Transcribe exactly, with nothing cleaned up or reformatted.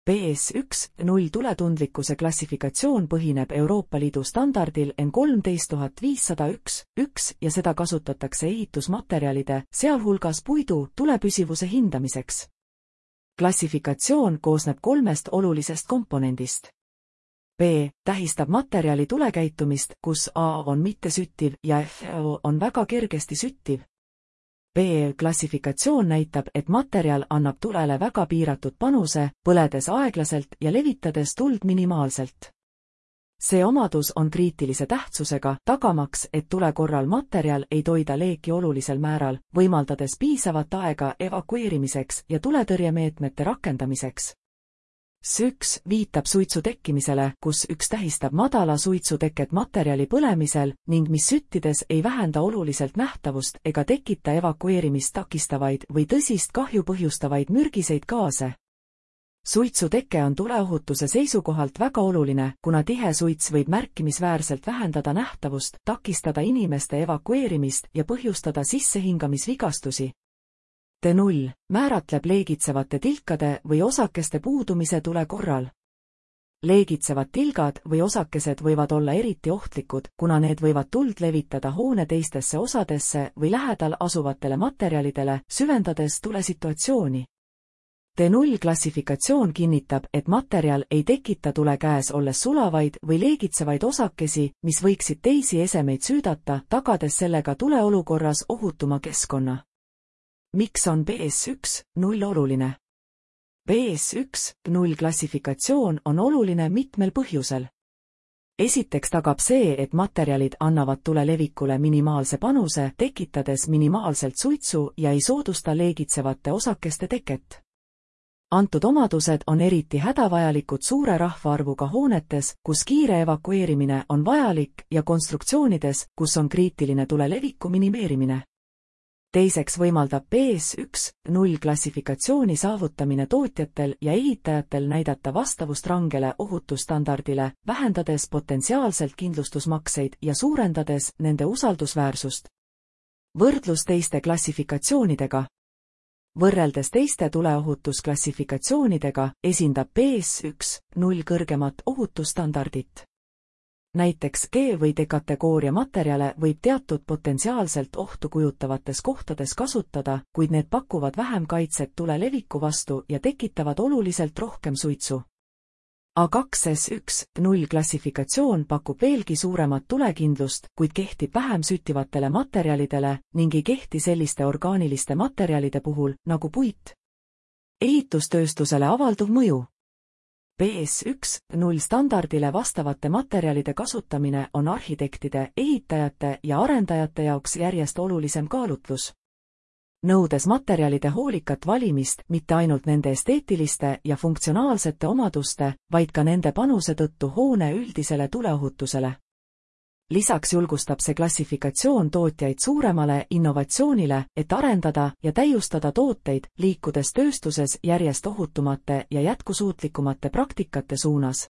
B S üks null tuletundlikkuse klassifikatsioon põhineb Euroopa Liidu standardil N kolmteist tuhat viissada üks üks ja seda kasutatakse ehitusmaterjalide, sealhulgas puidu, tulepüsivuse hindamiseks. Klassifikatsioon koosneb kolmest olulisest komponendist. B tähistab materjali tulekäitumist, kus A on mittesüttiv ja F on väga kergesti süttiv. B klassifikatsioon näitab, et materjal annab tulele väga piiratud panuse, põledes aeglaselt ja levitades tuld minimaalselt. See omadus on kriitilise tähtsusega, tagamaks, et tule korral materjal ei toida leeki olulisel määral, võimaldades piisavat aega evakueerimiseks ja tuletõrjemeetmete rakendamiseks. S üks viitab suitsu tekkimisele, kus üks tähistab madala suitsuteket materjali põlemisel ning mis süttides ei vähenda oluliselt nähtavust ega tekita evakueerimist takistavaid või tõsist kahju põhjustavaid mürgiseid gaase. Suitsuteke on tuleohutuse seisukohalt väga oluline, kuna tihe suits võib märkimisväärselt vähendada nähtavust, takistada inimeste evakueerimist ja põhjustada sissehingamisvigastusi. D null määratleb leegitsevate tilkade või osakeste puudumise tule korral. Leegitsevad tilgad või osakesed võivad olla eriti ohtlikud, kuna need võivad tuld levitada hoone teistesse osadesse või lähedal asuvatele materjalidele, süvendades tulesituatsiooni. D null klassifikatsioon kinnitab, et materjal ei tekita tule käes olles sulavaid või leegitsevaid osakesi, mis võiksid teisi esemeid süüdata, tagades sellega tuleolukorras ohutuma keskkonna. Miks on B S üks null oluline? B S üks null klassifikatsioon on oluline mitmel põhjusel. Esiteks tagab see, et materjalid annavad tule levikule minimaalse panuse, tekitades minimaalselt suitsu ja ei soodusta leegitsevate osakeste teket. Antud omadused on eriti hädavajalikud suure rahvaarvuga hoonetes, kus kiire evakueerimine on vajalik ja konstruktsioonides, kus on kriitiline tule leviku minimeerimine. Teiseks võimaldab B S üks null klassifikatsiooni saavutamine tootjatel ja ehitajatel näidata vastavust rangele ohutusstandardile, vähendades potentsiaalselt kindlustusmakseid ja suurendades nende usaldusväärsust. Võrdlus teiste klassifikatsioonidega. Võrreldes teiste tuleohutusklassifikatsioonidega esindab B S üks null kõrgemat ohutusstandardit. Näiteks G või D kategooria materjale võib teatud potentsiaalselt ohtu kujutavates kohtades kasutada, kuid need pakuvad vähem kaitset tule leviku vastu ja tekitavad oluliselt rohkem suitsu. A kaks S üks null klassifikatsioon pakub veelgi suuremat tulekindlust, kuid kehtib vähem süttivatele materjalidele ning ei kehti selliste orgaaniliste materjalide puhul, nagu puit. Ehitustööstusele avalduv mõju. B S üks null standardile vastavate materjalide kasutamine on arhitektide, ehitajate ja arendajate jaoks järjest olulisem kaalutlus. Nõudes materjalide hoolikat valimist mitte ainult nende esteetiliste ja funktsionaalsete omaduste, vaid ka nende panuse tõttu hoone üldisele tuleohutusele. Lisaks julgustab see klassifikatsioon tootjaid suuremale innovatsioonile, et arendada ja täiustada tooteid, liikudes tööstuses järjest ohutumate ja jätkusuutlikumate praktikate suunas.